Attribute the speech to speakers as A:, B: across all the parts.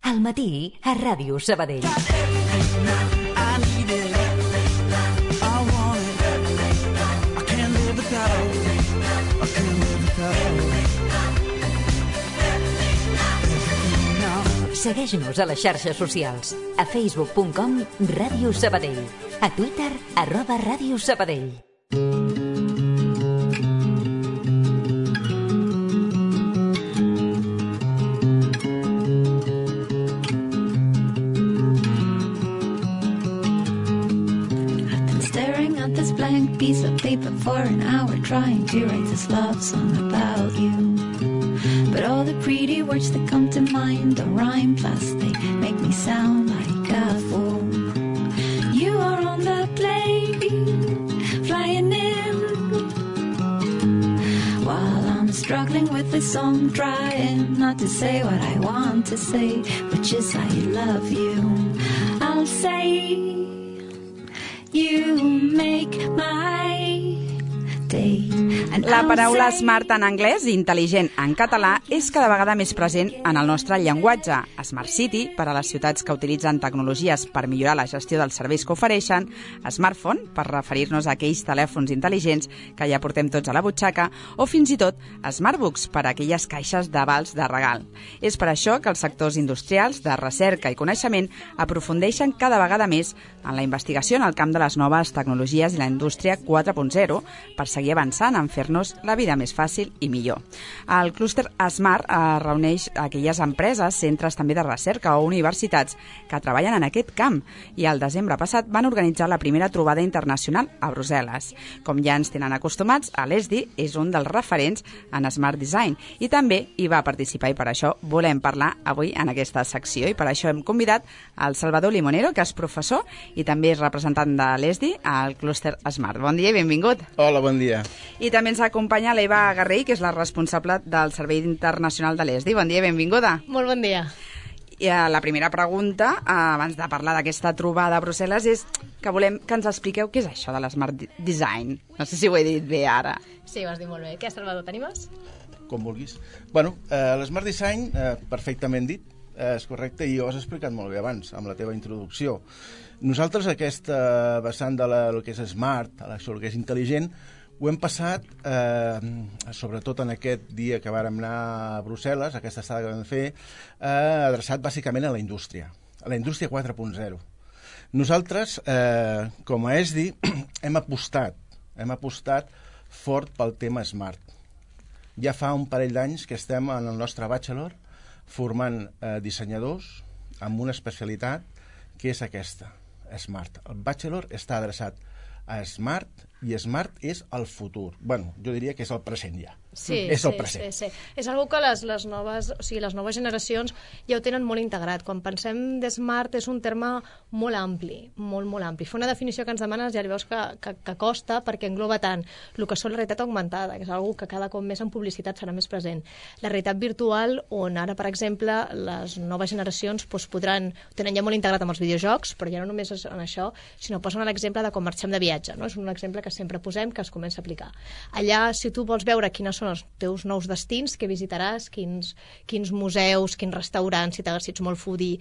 A: Al matí a Ràdio Sabadell. Segueix-nos a les xarxes socials. A facebook.com Ràdio Sabadell. A Twitter @Ràdio Sabadell.
B: Piece of paper for an hour trying to write this love song about you, but all the pretty words that come to mind don't rhyme, plus they make me sound like a fool. You are on the plane flying in while I'm struggling with this song, trying not to say what I want to say, which is I love you. I'll say you make my day.
C: La paraula smart en anglès i intel·ligent en català és cada vegada més present en el nostre llenguatge. Smart City, per a les ciutats que utilitzen tecnologies per millorar la gestió dels serveis que ofereixen, Smartphone, per referir-nos a aquells telèfons intel·ligents que ja portem tots a la butxaca, o fins i tot Smartbooks, per a aquelles caixes d'avals de regal. És per això que els sectors industrials de recerca i coneixement aprofundeixen cada vegada més en la investigació en el camp de les noves tecnologies i la indústria 4.0 per seguir avançant en fer-nos la vida més fàcil i millor. El clúster Smart reuneix aquelles empreses, centres també de recerca o universitats que treballen en aquest camp i el desembre passat van organitzar la primera trobada internacional a Brussel·les. Com ja ens tenen acostumats, l'ESDI és un dels referents en Smart Design i també hi va participar i per això volem parlar avui en aquesta secció i per això hem convidat el Salvador Limonero, que és professor i també és representant de l'ESDI al clúster Smart. Bon dia i benvingut.
D: Hola, bon dia.
C: I també ens acompanya l'Eva Garrell, que és la responsable del Servei Internacional de l'ESDI. Bon dia i benvinguda.
E: Molt bon dia.
C: I la primera pregunta, abans de parlar d'aquesta trobada a Brussel·les, és que volem que ens expliqueu què és això de l'Smart Design. No sé si ho he dit bé ara.
E: Sí, ho has dit molt bé. Què, Salvador, t'animes?
D: Com vulguis. Bueno, l'Smart Design, perfectament dit, és correcte, i ho has explicat molt bé abans, amb la teva introducció. Nosaltres, aquesta vessant de el que és smart, el que és intel·ligent, ho hem passat, sobretot en aquest dia que vàrem anar a Brussel·les, aquesta estada que vam fer, adreçat bàsicament a la indústria 4.0. Nosaltres, com a ESDI, hem apostat fort pel tema smart. Ja fa un parell d'anys que estem en el nostre bachelor formant dissenyadors amb una especialitat que és aquesta, smart. El bachelor està adreçat a smart i smart és el futur. Bueno, jo diria que és el present ja.
E: Sí,
D: és el present.
E: Sí. És algo que les noves generacions ja ho tenen molt integrat. Quan pensem de smart és un terme molt ampli, molt ampli. Fer una definició que ens demanes ja li veus que costa perquè engloba tant el que són la realitat augmentada, que és una que cada cop més en publicitat serà més present. La realitat virtual, on ara, per exemple, les noves generacions tenen ja molt integrat amb els videojocs, però ja no només és en això, sinó posen l'exemple de com marxem de viatge. No? És un exemple que sempre posem, que es comença a aplicar. Allà, si tu vols veure quines són els teus nous destins, què visitaràs, quins museus, quins restaurants, si ets molt foodie,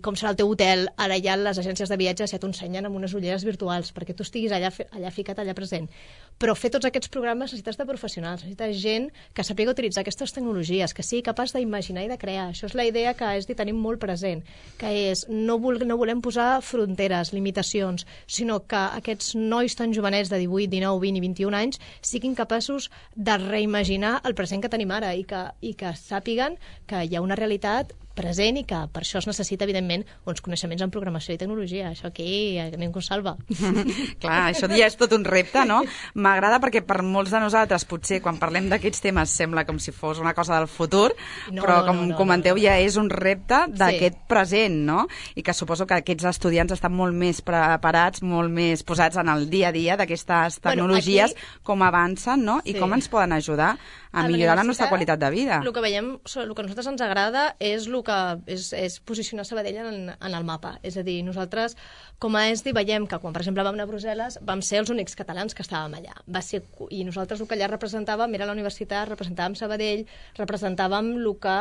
E: com serà el teu hotel, ara ja les agències de viatges ja t'ho ensenyen amb unes ulleres virtuals perquè tu estiguis allà ficat, allà present. Però fer tots aquests programes necessites de professionals, necessites gent que sàpiga utilitzar aquestes tecnologies, que sigui capaç d'imaginar i de crear. Això és la idea que és de tenir molt present, que és no volem posar fronteres, limitacions, sinó que aquests nois tan jovenets de 18, 19, 20 i 21 anys siguin capaços de reimaginar el present que tenim ara i que sàpiguen que hi ha una realitat present i que per això es necessita, evidentment, uns coneixements en programació i tecnologia. Això aquí a ningú salva.
C: Clar, això ja és tot un repte, no? M'agrada perquè per molts de nosaltres, potser, quan parlem d'aquests temes, sembla com si fos una cosa del futur, però com comenteu, ja és un repte d'aquest present, no? I que suposo que aquests estudiants estan molt més preparats, molt més posats en el dia a dia d'aquestes tecnologies, com avancen, no? I com ens poden ajudar a millorar la nostra qualitat de vida.
E: El que veiem, el que a nosaltres ens agrada és posicionar Sabadell en el mapa. És a dir, nosaltres, com a ESDI, veiem que quan, per exemple, vam anar a Brussel·les, vam ser els únics catalans que estàvem allà. I nosaltres el que allà representàvem era la universitat, representàvem Sabadell, representàvem el que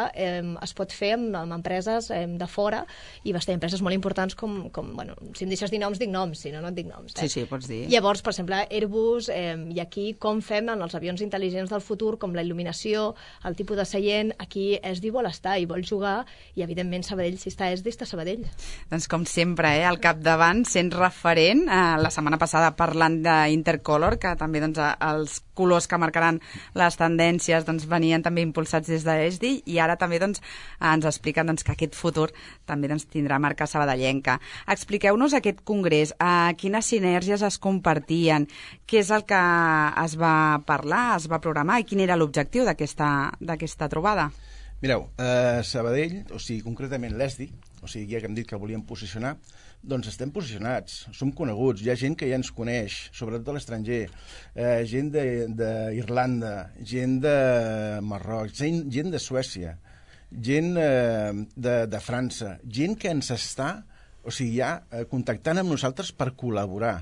E: es pot fer amb empreses de fora, i va ser empreses molt importants com bueno, si em deixes dir noms, dic noms, si no, no et dic noms.
C: Sí, pots dir.
E: Llavors, per exemple, Airbus, i aquí com fem en els avions intel·ligents del futur, com la il·luminació, el tipus de seient, aquí ESDI vol estar i vol jugar, i evidentment Sabadell, si està ESDI, està Sabadell.
C: Doncs com sempre, al capdavant, sent referent, la setmana passada parlant d'Intercolor, que també doncs, els colors que marcaran les tendències doncs, venien també impulsats des d'ESDI, i ara també doncs, ens expliquen doncs, que aquest futur també doncs, tindrà marca sabadellenca. Expliqueu-nos aquest congrés, quines sinergies es compartien, què és el que es va parlar, es va programar i quin era l'objectiu d'aquesta trobada?
D: Mireu, Sabadell, o sigui, concretament l'ESDI, o sigui, ja que hem dit que volíem posicionar, doncs estem posicionats, som coneguts, hi ha gent que ja ens coneix, sobretot a l'estranger, gent d'Irlanda, gent de Marroc, gent de Suècia, gent de França, gent que ens està, o sigui, ja contactant amb nosaltres per col·laborar.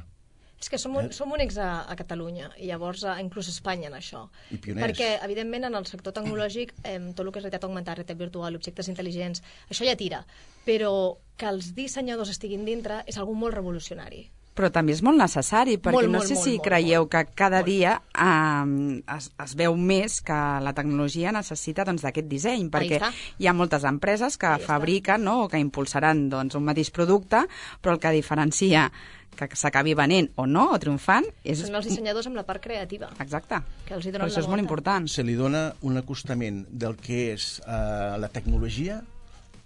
E: És que som únics a Catalunya, i llavors inclús a Espanya en això.
D: I pioners.
E: Perquè, evidentment, en el sector tecnològic, tot el que és realitat augmentada, realitat virtual, objectes intel·ligents, això ja tira. Però que els dissenyadors estiguin dintre és algo molt revolucionari.
C: Però també és molt necessari, perquè no sé si creieu que cada dia es veu més que la tecnologia necessita d'aquest disseny, perquè hi ha moltes empreses que fabriquen o que impulsaran un mateix producte, però el que diferencia que s'acabi venent o no, o triomfant...
E: Són els dissenyadors amb la part creativa.
C: Exacte,
E: que els hi
C: però això és molt important.
D: Se li dona un acostament del que és la tecnologia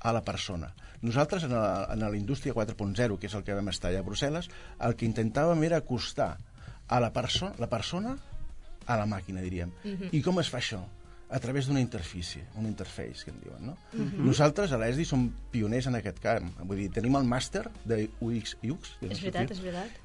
D: a la persona. Nosaltres, en la indústria 4.0, que és el que vam estar allà a Brussel·les, el que intentàvem era acostar a la persona a la màquina, diríem. I com es fa això? A través d'una interfície, un interface, que en diuen, no? Nosaltres, a l'ESDI, som pioners en aquest camp. Vull dir, tenim el màster de UX.
E: És veritat.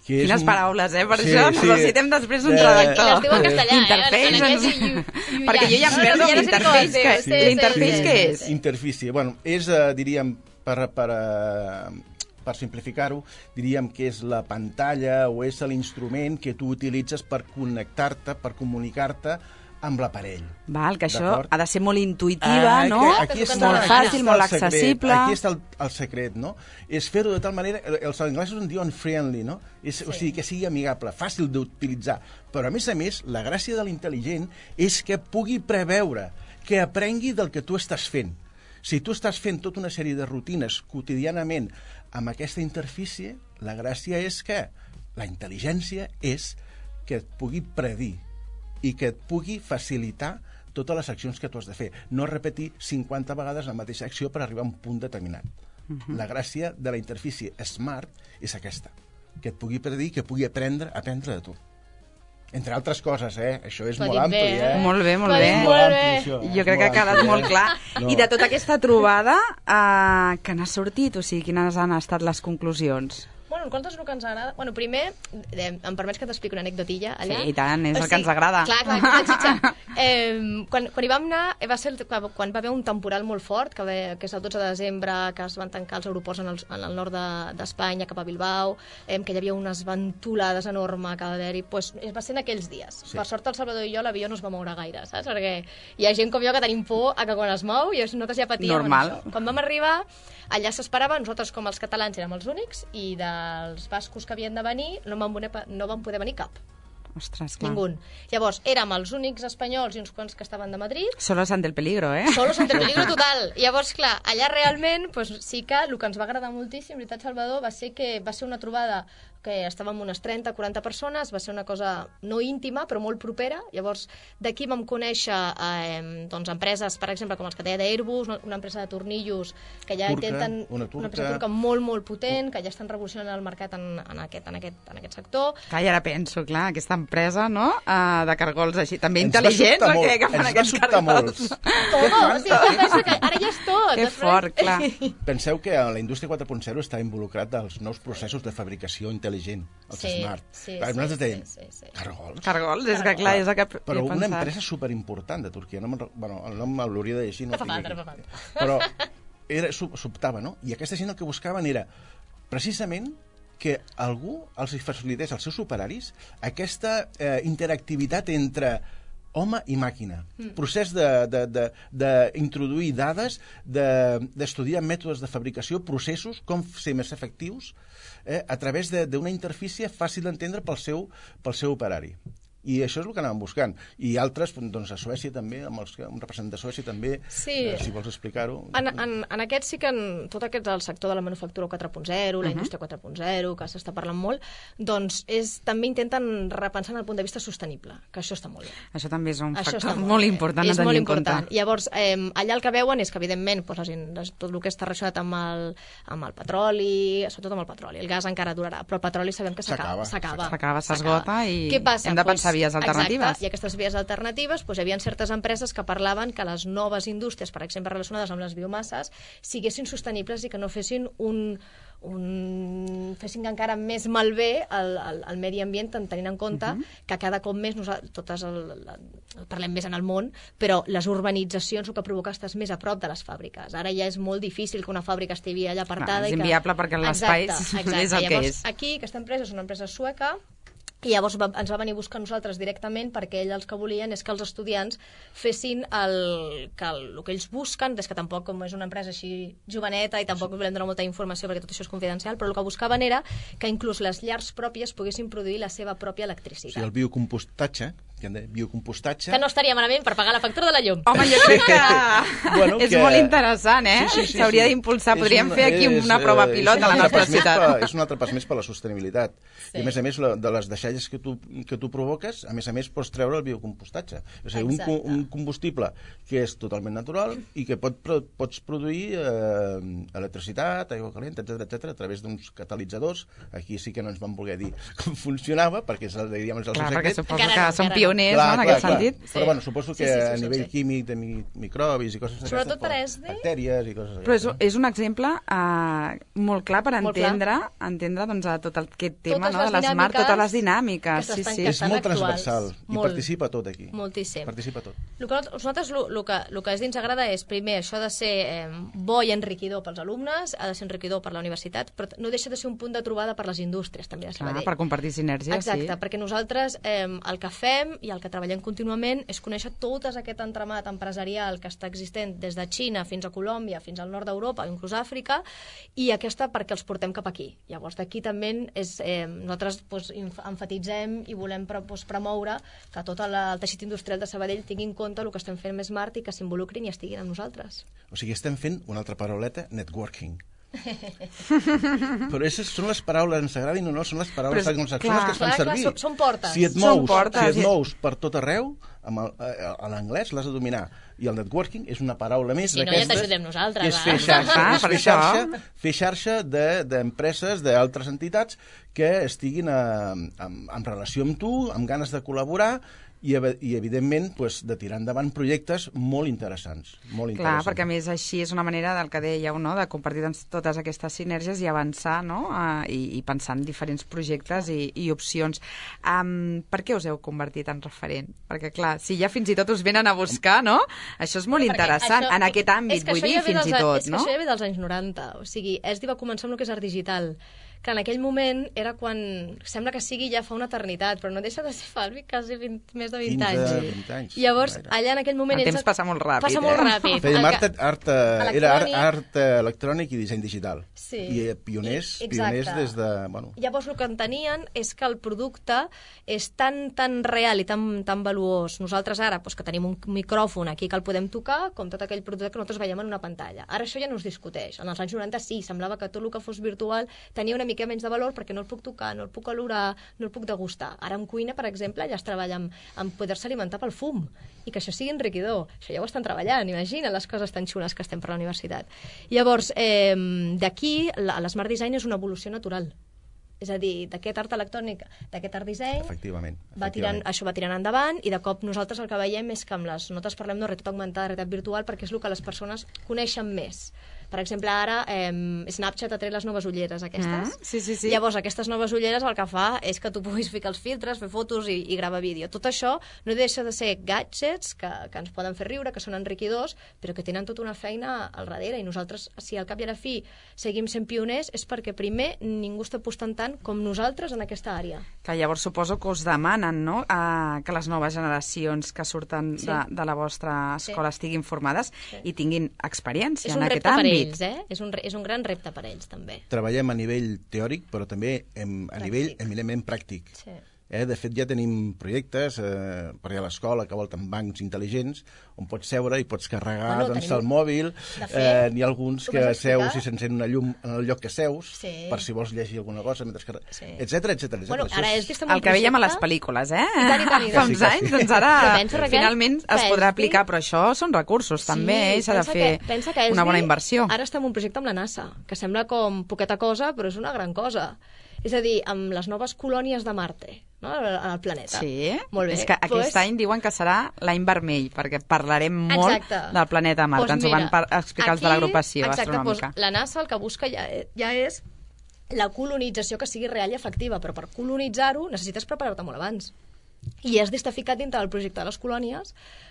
C: Quines paraules, per això necessitem després un redactor.
E: I les diu en castellà,
C: Interface, perquè jo ja em perdo l'interface. L'interface què és?
D: Interfície, bueno, és, diríem, per simplificar-ho, diríem que és la pantalla o és l'instrument que tu utilitzes per connectar-te, per comunicar-te amb l'aparell.
C: Val, que això ha de ser molt intuïtiva, no?
D: Aquí està,
C: molt fàcil, molt accessible.
D: Aquí està el secret, no? És fer-ho de tal manera... Els anglesos en diuen friendly, no? O sigui, que sigui amigable, fàcil d'utilitzar. Però, a més, la gràcia de l'intel·ligent és que pugui preveure, que aprengui del que tu estàs fent. Si tu estàs fent tota una sèrie de rutines quotidianament amb aquesta interfície, la gràcia és que la intel·ligència és que et pugui predir i que et pugui facilitar totes les accions que tu has de fer. No repetir 50 vegades la mateixa acció per arribar a un punt determinat. La gràcia de la interfície smart és aquesta, que et pugui predir, que pugui aprendre de tu. Entre altres coses, Això és molt ampli,
C: Molt bé, molt bé. Jo crec que ha quedat molt clar. I de tota aquesta trobada, què n'ha sortit? O sigui, quines han estat les conclusions?
E: Bueno, nosaltres el que ens agrada... Bueno, primer, em permets que t'expliqui una anecdotilla allà?
C: Sí, i tant, és el que ens agrada.
E: Clar, la xitxa. Quan hi vam anar, va ser quan va haver un temporal molt fort, que és el 12 de desembre, que es van tancar els aeroports en el nord d'Espanya, cap a Bilbao, que hi havia unes ventolades enormes que va haver-hi. Va ser en aquells dies. Per sort, el Salvador i jo, l'avió no es va moure gaire, saps? Perquè hi ha gent com jo que tenim por a que quan es mou, i nosaltres ja patíem
C: normal.
E: Això. Quan vam arribar, allà s'esperava, nosaltres com els catalans érem els únics, i dels bascos que havien de venir no van poder venir cap.
C: Ostres, clar.
E: Ningú. Llavors, érem els únics espanyols i uns quants que estaven de Madrid.
C: Solos ante el peligro,
E: Solos ante el peligro total. Llavors, clar, allà realment sí que el que ens va agradar moltíssim, veritat, Salvador, va ser que va ser una trobada que estàvem unes 30-40 persones, va ser una cosa no íntima, però molt propera. Llavors, d'aquí vam conèixer empreses, per exemple, com els que deia d'Airbus, una empresa de tornillos que ja intenten... Una empresa turca molt, molt potent, que ja estan revolucionant el mercat en aquest sector.
C: Clar, i ara penso, clar, aquesta empresa, no?, de cargols així, també intel·ligents, o què, que fan aquests cargols?
E: Ara ja és tot.
C: Que fort, clar.
D: Penseu que la indústria 4.0 està involucrat als nous processos de fabricació intel·ligent intel·ligent, els smart. Nosaltres dèiem, cargols?
C: Cargols, és que clar, és el que he
D: Però una
C: pensat.
D: empresa superimportant de Turquia, el nom l'hauria de llegir, no
E: No fa
D: el tinc
E: falta,
D: aquí.
E: no fa falta.
D: Però sobtava, no? I aquesta gent el que buscaven era precisament que algú els facilités als seus operaris aquesta interactivitat entre home i màquina. Procés d'introduir dades, d'estudiar mètodes de fabricació, processos, com ser més efectius, a través d'una interfície fàcil d'entendre pel seu operari. I això és el que anàvem buscant. I altres, doncs a Suècia també, amb un representant de Suècia també, si vols explicar-ho.
E: En aquest sí que tot aquest del sector de la manufactura 4.0, la indústria 4.0, que s'està parlant molt, doncs també intenten repensar en el punt de vista sostenible, que això està molt bé.
C: Això també és un factor molt important a tenir en compte.
E: Llavors, allà el que veuen és que, evidentment, tot el que està relacionat amb el petroli, sobretot amb el petroli, el gas encara durarà, però el petroli sabem que s'acaba.
C: S'esgota i hem de pensar vies alternatives.
E: Exacte, i aquestes vies alternatives, hi havia certes empreses que parlaven que les noves indústries, per exemple, relacionades amb les biomasses, siguessin sostenibles i que no fessin fessin encara més malbé el medi ambient, tenint en compte que cada cop més parlem més en el món, però les urbanitzacions el que provoca estàs més a prop de les fàbriques. Ara ja és molt difícil que una fàbrica estigui allà apartada.
C: És inviable perquè l'espai és el que és.
E: Aquí, aquesta empresa és una empresa sueca, i llavors ens va venir a buscar nosaltres directament perquè ells el que volien és que els estudiants fessin el que ells busquen, des que tampoc, com és una empresa així joveneta i tampoc volem donar molta informació perquè tot això és confidencial, però el que buscaven era que inclús les llars pròpies poguessin produir la seva pròpia electricitat.
D: O sigui, el biocompostatge, biocompostatge...
E: Que no estaria malament per pagar la factura de la llum.
C: Home, jo crec que és molt interessant, S'hauria d'impulsar. Podríem fer aquí una prova pilot a la nostra ciutat.
D: És un altre pas més per la sostenibilitat. I a més, de les deixalles que tu provoques, a més, pots treure el biocompostatge. És a dir, un combustible que és totalment natural i que pots produir electricitat, aigua calenta, etc a través d'uns catalitzadors. Aquí sí que no ens van voler dir com funcionava, perquè és el seu secret.
C: Perquè suposo que són pioners en aquest sentit.
D: Però bueno, suposo que a nivell químic de microbis i coses d'aquestes,
E: sobretot per ESD,
D: bactèries i coses
C: d'aquestes. Però és un exemple molt clar per entendre tot aquest tema de l'Smart, totes les dinàmiques.
D: És molt transversal i participa tot aquí.
E: Moltíssim.
D: Participa tot.
E: Nosaltres el que ens agrada és, primer, això de ser bo i enriquidor pels alumnes, ha de ser enriquidor per la universitat, però no deixa de ser un punt de trobada per les indústries, també de Sabadell.
C: Per compartir sinergies,
E: exacte, perquè nosaltres el que fem i el que treballem contínuament és conèixer tot aquest entramat empresarial que està existent des de Xina fins a Colòmbia, fins al nord d'Europa, inclús Àfrica, i perquè els portem cap aquí. Llavors, d'aquí també nosaltres emfatitzem i volem promoure que tot el teixit industrial de Sabadell tingui en compte el que estem fent més Smart i que s'involucrin i estiguin amb nosaltres.
D: O sigui, estem fent una altra parauleta, networking. Però aquestes són les paraules, ens agradin o no, són les paraules anglosaxones que es fan servir.
E: Són portes.
D: Si et mous per tot arreu, a l'anglès l'has de dominar. I el networking és una paraula més
E: d'aquestes. Si no, ja t'ajudem nosaltres.
D: És fer xarxa d'empreses, d'altres entitats que estiguin en relació amb tu, amb ganes de col·laborar i evidentment, de tirar endavant projectes molt interessants.
C: Clar, perquè a més així és una manera del que dèieu, de compartir totes aquestes sinergies i avançar, i pensar en diferents projectes i opcions. Per què us heu convertit en referent? Perquè, clar, si ja fins i tot us venen a buscar, això és molt interessant, en aquest àmbit, vull dir, fins i tot, no?
E: És que això ja ve dels anys 90, o sigui, ESDI va començar amb el que és art digital, que en aquell moment era quan, sembla que sigui ja fa una eternitat, però no deixa de ser quasi més de 20 anys.
D: 20 anys.
E: Llavors, allà en aquell moment...
C: El temps passa molt ràpid.
E: Passa molt ràpid.
D: Fèiem era art electrònic i disseny digital.
E: Sí.
D: I pioners des de...
E: Llavors, el que entenien és que el producte és tan real i tan valuós. Nosaltres ara, que tenim un micròfon aquí que el podem tocar, com tot aquell producte que nosaltres veiem en una pantalla. Ara això ja no es discuteix. En els anys 90 sí, semblava que tot el que fos virtual tenia una mica menys de valor perquè no el puc tocar, no el puc olorar, no el puc degustar. Ara en cuina, per exemple, ja es treballa en poder-se alimentar pel fum i que això sigui enriquidor. Això ja ho estan treballant, imagina les coses tan xules que estem per la universitat. Llavors, d'aquí, l'Smart Design és una evolució natural. És a dir, d'aquest art electrònic, d'aquest art disseny, això va tirant endavant i de cop nosaltres el que veiem és que amb les notes parlem de realitat augmentada, realitat virtual, perquè és el que les persones coneixen més. Per exemple, ara Snapchat ha tret les noves ulleres aquestes.
C: Sí.
E: Llavors, aquestes noves ulleres el que fa és que tu puguis ficar els filtres, fer fotos i gravar vídeo. Tot això no deixa de ser gadgets que ens poden fer riure, que són enriquidors, però que tenen tota una feina al darrere, i nosaltres, si al cap i a la fi seguim sent pioners, és perquè primer ningú està apostant tant com nosaltres en aquesta àrea.
C: Que llavors suposo que us demanen, no?, que les noves generacions que surten de la vostra escola estiguin formades i tinguin experiència en aquest àmbit.
E: És un repte per ells, és un gran repte per ells, també.
D: Treballem a nivell teòric, però també a nivell eminentment pràctic.
E: Sí.
D: De fet, ja tenim projectes per allà a l'escola que volten bancs intel·ligents on pots seure i pots carregar el mòbil. N'hi ha alguns que seus i s'encén una llum en el lloc que seus per si vols llegir alguna cosa, etcètera.
E: Bueno, ara és
C: el que veiem a les pel·lícules, fa uns anys, doncs ara finalment es podrà aplicar, però això són recursos també, s'ha de fer una bona inversió.
E: Ara estem en un projecte amb la NASA, que sembla com poqueta cosa, però és una gran cosa. És a dir, amb les noves colònies de Marte, no?, al planeta.
C: Sí,
E: molt bé.
C: És que aquest any diuen que serà l'any vermell, perquè parlarem molt del planeta Marte. Ens ho van explicar els de l'agrupació astronòmica.
E: La NASA el que busca ja és la colonització que sigui real i efectiva, però per colonitzar-ho necessites preparar-te molt abans. I has d'estar ficat dintre del projecte de les colònies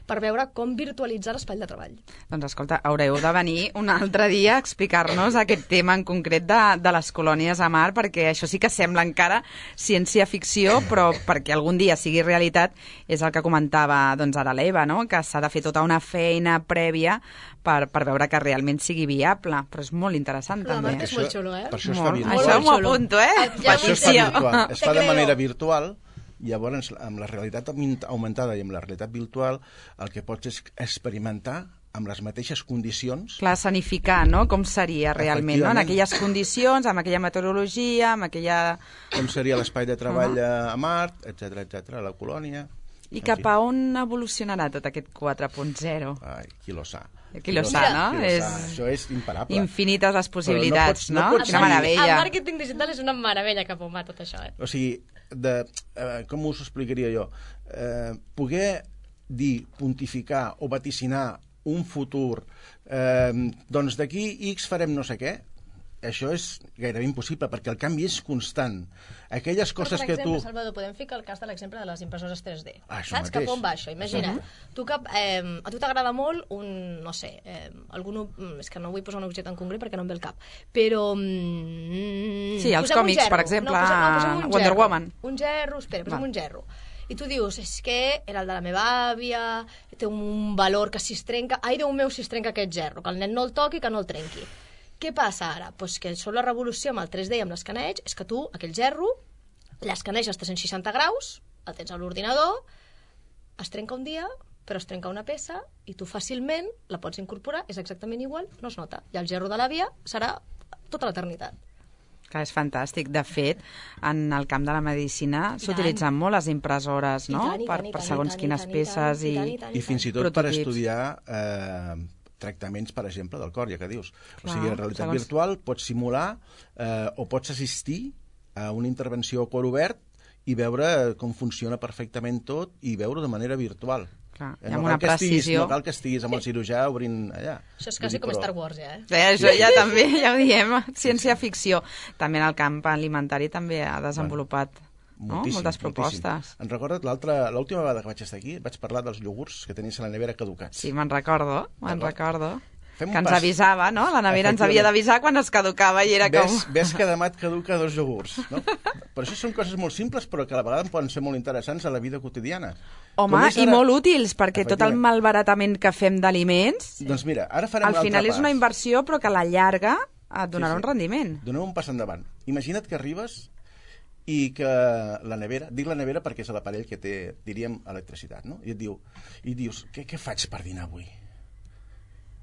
E: per veure com virtualitzar l'espai de treball.
C: Doncs escolta, haureu de venir un altre dia a explicar-nos aquest tema en concret de les colònies a Mart, perquè això sí que sembla encara ciència-ficció, però perquè algun dia sigui realitat és el que comentava ara l'Eva, no?, que s'ha de fer tota una feina prèvia per veure que realment sigui viable, però és molt interessant també.
E: És molt xulo,
D: Per això es fa virtual.
C: Això m'ho apunto,
D: Per això es fa virtual. Es fa de manera virtual. Llavors, amb la realitat augmentada i amb la realitat virtual, el que pots és experimentar amb les mateixes condicions.
C: Clar, escenificar, no?, com seria realment, no?, en aquelles condicions, amb aquella meteorologia, amb aquella...
D: Com seria l'espai de treball a Mart, etcètera, a la colònia...
C: I cap a on evolucionarà tot aquest 4.0?
D: Ai, qui lo sa.
C: Qui lo sa, no?
D: Això és imparable.
C: Infinites les possibilitats, no? Quina meravella.
E: El màrqueting digital és una meravella cap on va tot això,
D: O sigui, com us ho explicaria jo? Poder dir, pontificar o vaticinar un futur, doncs d'aquí X farem no sé què, això és gairebé impossible, perquè el canvi és constant. Aquelles coses que tu...
E: Per exemple, Salvador, podem ficar el cas de l'exemple de les impressores 3D.
D: Saps
E: cap on va això? Imagina, a tu t'agrada molt no sé, és que no vull posar un objecte en concret perquè no em ve el cap, però...
C: Sí, els còmics, per exemple, Wonder Woman.
E: Un gerro, posem un gerro. I tu dius, és que era el de la meva àvia, té un valor que si es trenca... Ai, Déu meu, si es trenca aquest gerro, que el nen no el toqui, que no el trenqui. Què passa ara? Pues que això la revolució amb el 3D i amb l'escaneig és que tu, aquell gerro, l'escaneig als 360 graus, el tens a l'ordinador, es trenca un dia, però es trenca una peça i tu fàcilment la pots incorporar, és exactament igual, no es nota. I el gerro de l'àvia serà tota l'eternitat.
C: Que és fantàstic. De fet, en el camp de la medicina s'utilitzen molt les impressores, no?, per segons quines peces
D: i fins i tot per estudiar tractaments, per exemple, del cor, ja que dius. O sigui, en realitat virtual pots simular o pots assistir a una intervenció a cor obert i veure com funciona perfectament tot i veure de manera virtual.
C: Amb una precisió.
D: No cal que estiguis amb el cirurgià obrint allà.
E: Això és quasi com Star Wars, ja,
C: Això ja també, ja ho diem, ciència-ficció. També en el camp alimentari també ha desenvolupat moltes propostes.
D: Em recordes l'última vegada que vaig estar aquí, vaig parlar dels iogurts que tenies a la nevera caducats.
C: Sí, me'n recordo. Que ens avisava, no? La nevera ens havia d'avisar quan es caducava i era com...
D: Ves que demà et caduca 2 iogurts, no? Per això són coses molt simples, però que a la vegada poden ser molt interessants a la vida quotidiana.
C: Home, i molt útils, perquè tot el malbaratament que fem d'aliments...
D: Doncs mira, ara farem un altre pas.
C: Al final és una inversió, però que a la llarga et donarà un rendiment.
D: Donem un pas endavant. Imagina't que arribes i que la nevera, dic la nevera perquè és l'aparell que té, diríem, electricitat, no? I dius, què faig per dinar avui?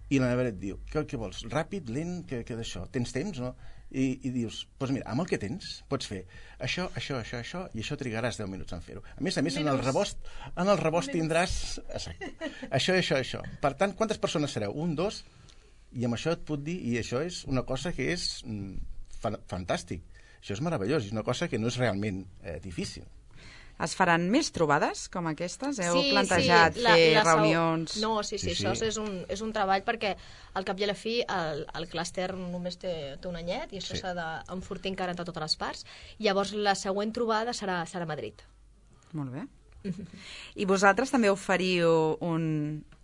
D: I la nevera et diu, què vols? Ràpid, lent, què d'això? Tens temps, no? I dius, doncs mira, amb el que tens pots fer això, i això trigaràs 10 minuts en fer-ho. A més, en el rebost tindràs això. Per tant, quantes persones sereu? 1, 2? I amb això et puc dir, i això és una cosa que és fantàstic. Això és meravellós, és una cosa que no és realment difícil.
C: Es faran més trobades com aquestes? Heu plantejat fer reunions?
E: No, sí. Això és un treball perquè al cap i a la fi el clúster només té un anyet i això s'ha d'enfortir encara entre totes les parts. Llavors la següent trobada serà a Madrid.
C: Molt bé. I vosaltres també oferiu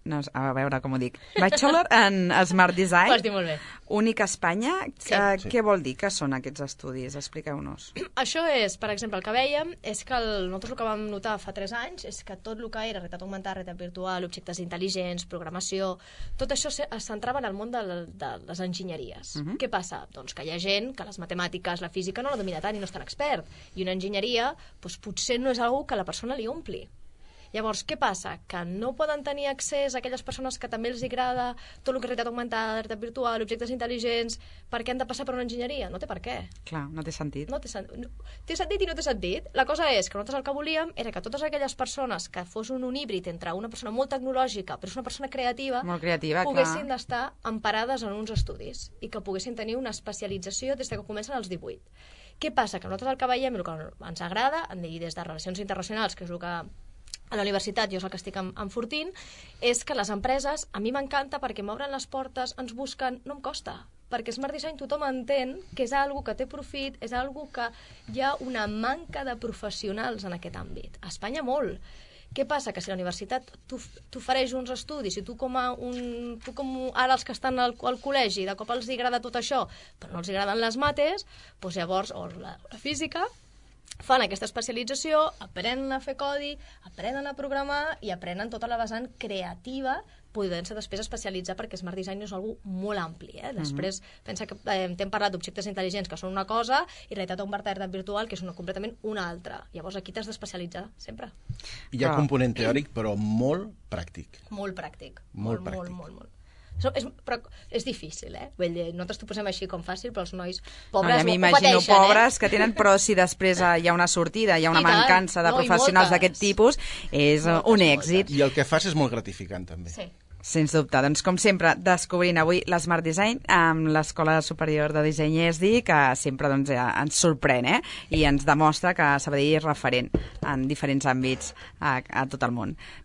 C: no, a veure com ho dic, Bachelor en Smart Design.
E: Ho has dit molt bé.
C: Únic a Espanya.
E: Sí.
C: Què vol dir que són aquests estudis? Expliqueu-nos.
E: Això és, per exemple, el que vèiem és que nosaltres el que vam notar fa 3 anys és que tot el que era realitat augmentada, realitat virtual, objectes intel·ligents, programació, tot això es centrava en el món de les enginyeries. Què passa? Doncs que hi ha gent que les matemàtiques, la física no la domina tant i no és tan expert. I una enginyeria doncs, potser no és algú que la persona li ompli. Llavors, què passa? Que no poden tenir accés a aquelles persones que també els agrada tot el que és realitat augmentada, realitat virtual, objectes intel·ligents, perquè han de passar per una enginyeria? No té per què.
C: Clar, no té sentit.
E: Té sentit i no té sentit. La cosa és que nosaltres el que volíem era que totes aquelles persones que fos un híbrid entre una persona molt tecnològica però és una persona creativa, poguessin d'estar emparades en uns estudis i que poguessin tenir una especialització des que comencen als 18. Què passa? Que nosaltres el que veiem i el que ens agrada, i des de Relacions Internacionals, que és el que a la universitat, jo és el que estic enfortint, és que les empreses, a mi m'encanta perquè m'obren les portes, ens busquen, no em costa, perquè Smart Design tothom entén que és algo que té profit, és algo que hi ha una manca de professionals en aquest àmbit. A Espanya molt. Què passa? Que si la universitat t'ofereix uns estudis i tu com ara els que estan al col·legi, de cop els agrada tot això, però no els agraden les mates, doncs llavors, o la física, fan aquesta especialització, aprenen a fer codi, aprenen a programar i aprenen tota la vessant creativa, podent-se després especialitzar perquè Smart Design és algo molt ampli. Després, pensa que t'hem parlat d'objectes intel·ligents, que són una cosa, i realitat augmentada virtual, que és completament una altra. Llavors aquí t'has d'especialitzar, sempre.
D: Hi ha component teòric, però molt pràctic.
E: Molt pràctic.
D: Molt pràctic.
E: Molt. Però és difícil, Vull dir, nosaltres t'ho posem així com fàcil, però els nois pobres ho pateixen.
C: M'imagino pobres que tenen, però si després hi ha una sortida, hi ha una mancança de professionals d'aquest tipus, és un èxit.
D: I el que fas és molt gratificant, també.
E: Sí.
C: Sens dubte. Doncs, com sempre, descobrint avui l'Smart Design amb l'Escola Superior de Disseny ESDI, que sempre ens sorprèn i ens demostra que Sabadell és referent en diferents àmbits a tot el món.